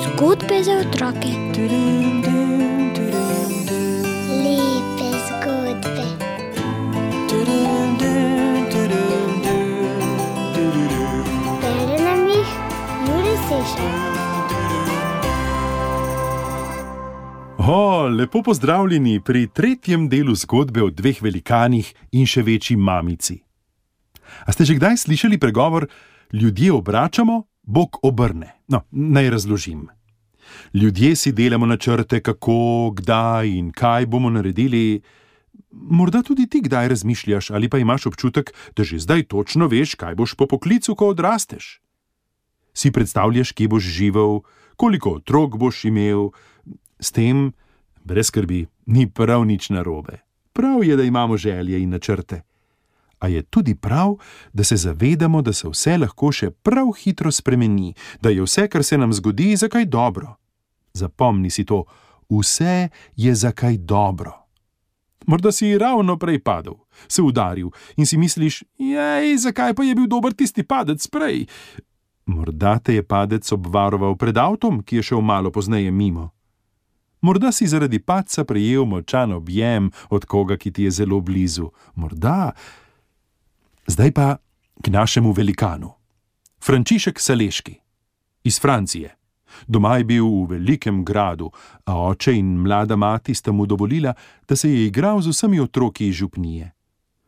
Zgodbe za otroke. Lepe zgodbe. Bere nam jih Jure Sešar. Lepo pozdravljeni pri tretjem delu zgodbe o dveh velikanih in še večji mamici. A ste že kdaj slišali pregovor: ljudje obračamo, Bog obrne? No, naj razložim. Ljudje si delamo načrte, kako, kdaj in kaj bomo naredili. Morda tudi ti kdaj razmišljaš ali pa imaš občutek, da že zdaj točno veš, kaj boš po poklicu, ko odrasteš. Si predstavljaš, kje boš živel, koliko otrok boš imel. S tem, brez skrbi, ni prav nič narobe. Prav je, da imamo želje in načrte. A je tudi prav, da se zavedamo, da se vse lahko še prav hitro spremeni, da je vse, kar se nam zgodi, za kaj dobro. Zapomni si to, vse je za kaj dobro. Morda si ravno prej padel, se udaril in si misliš: zakaj pa je bil dober tisti padec prej? Morda te je padec obvaroval pred avtom, ki je šel malo pozneje mimo. Morda si zaradi padca prejel močan objem od koga, ki ti je zelo blizu. Morda. Zdaj pa k našemu velikanu. Frančišek Saleški. Iz Francije. Doma je bil v velikem gradu, a oče in mlada mati sta mu dovolila, da se je igral z vsemi otroki iz župnije.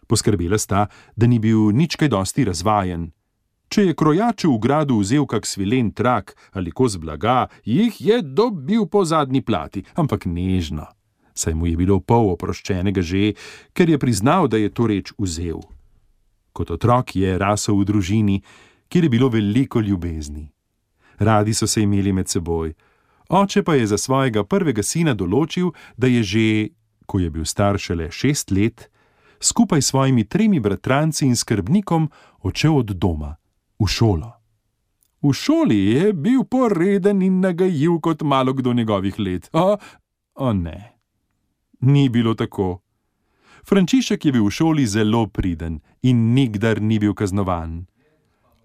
Poskrbela sta, da ni bil nič kaj dosti razvajen. Če je krojaču v gradu vzel kak svilen trak ali kos blaga, jih je dobil po zadnji plati, ampak nežno, saj mu je bilo pol oproščenega že, ker je priznal, da je to reč vzel. Kot otrok je rasel v družini, kjer je bilo veliko ljubezni. Radi so se imeli med seboj. Oče pa je za svojega prvega sina določil, da je že, ko je bil star šele 6 let, skupaj s svojimi 3 bratranci in skrbnikom odšel od doma v šolo. V šoli je bil poreden in nagajiv kot malo kdo njegovih let. Ne, ni bilo tako. Frančišek je bil v šoli zelo priden in nikdar ni bil kaznovan.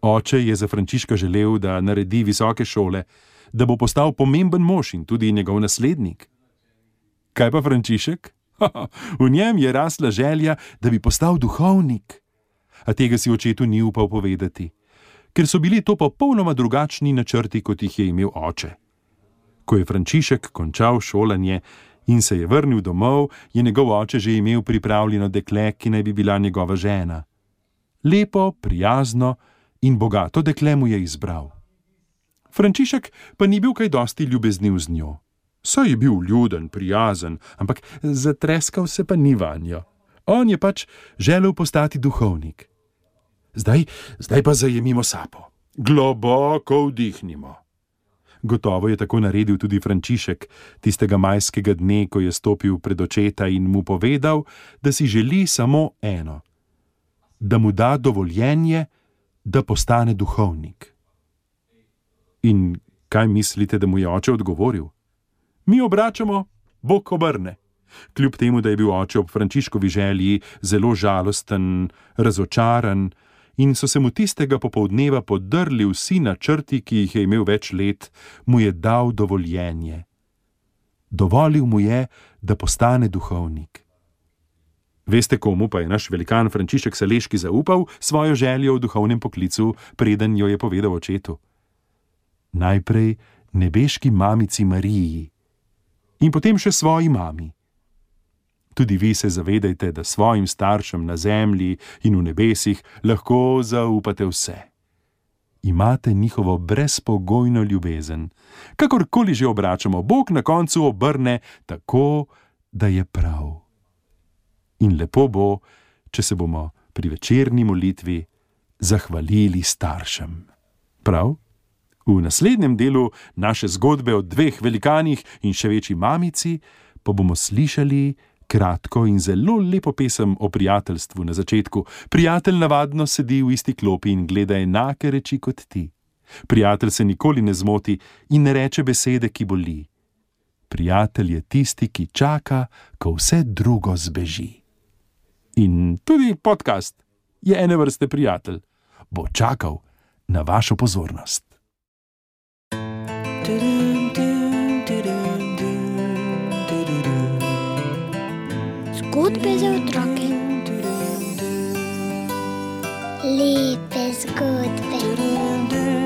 Oče je za Frančiška želel, da naredi visoke šole, da bo postal pomemben mož in tudi njegov naslednik. Kaj pa Frančišek? V njem je rasla želja, da bi postal duhovnik. A tega si očetu ni upal povedati, ker so bili to popolnoma drugačni načrti, kot jih je imel oče. Ko je Frančišek končal šolanje in se je vrnil domov, je njegov oče že imel pripravljeno dekle, ki naj bi bila njegova žena. Lepo, prijazno in bogato dekle mu je izbral. Frančišek pa ni bil kaj dosti ljubezniv z njo. Saj je bil ljuden, prijazen, ampak zatreskal se pa ni vanjo. On je pač želel postati duhovnik. Zdaj pa zajemimo sapo. Globoko vdihnimo. Gotovo je tako naredil tudi Frančišek, tistega majskega dne, ko je stopil pred očeta in mu povedal, da si želi samo eno: da mu da dovoljenje, da postane duhovnik. In kaj mislite, da mu je oče odgovoril? Mi obračamo, Bog obrne. Kljub temu, da je bil oče ob Frančiškovi želji zelo žalosten, razočaran, in so se mu tistega popoldneva podrli vsi načrti, ki jih je imel več let, mu je dal dovoljenje. Dovolil mu je, da postane duhovnik. Veste, komu pa je naš velikan Frančišek Saleški zaupal svojo željo v duhovnem poklicu, preden jo je povedal očetu? Najprej nebeški mamici Mariji in potem še svoji mami. Tudi vi se zavedajte, da svojim staršem na zemlji in v nebesih lahko zaupate vse. Imate njihovo brezpogojno ljubezen. Kakorkoli že obračamo, Bog na koncu obrne tako, da je prav. In lepo bo, če se bomo pri večerni molitvi zahvalili staršem. Prav? V naslednjem delu naše zgodbe o dveh velikanih in še večji mamici pa bomo slišali kratko in zelo lepo pesem o prijateljstvu na začetku. Prijatelj navadno sedi v isti klopi in gleda enake reči kot ti. Prijatelj se nikoli ne zmoti in ne reče besede, ki boli. Prijatelj je tisti, ki čaka, ko vse drugo zbeži. In tudi podcast je ene vrste prijatelj. bo čakal na vašo pozornost. Zgodbe za otroke. Lepe zgodbe.